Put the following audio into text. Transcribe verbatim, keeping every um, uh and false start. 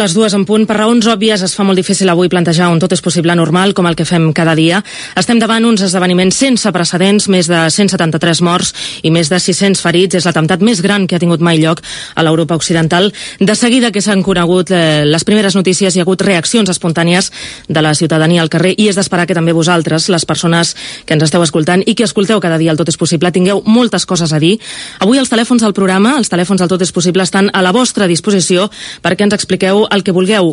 Les dues en punt. Per raons òbvies es fa molt difícil avui plantejar un tot és possible normal com el que fem cada dia. Estem davant uns esdeveniments sense precedents, més de cent setanta-tres morts i més de sis-cents ferits. És l'atemptat més gran que ha tingut mai lloc a l'Europa occidental. De seguida que s'han conegut eh, les primeres notícies, hi ha hagut reaccions espontànies de la ciutadania al carrer i és d'esperar que també vosaltres, les persones que ens esteu escoltant i que escolteu cada dia el Tot és possible, tingueu moltes coses a dir. Avui els telèfons del programa, els telèfons del Tot és possible estan a la vostra disposició perquè ens expliqueu el que vulgueu.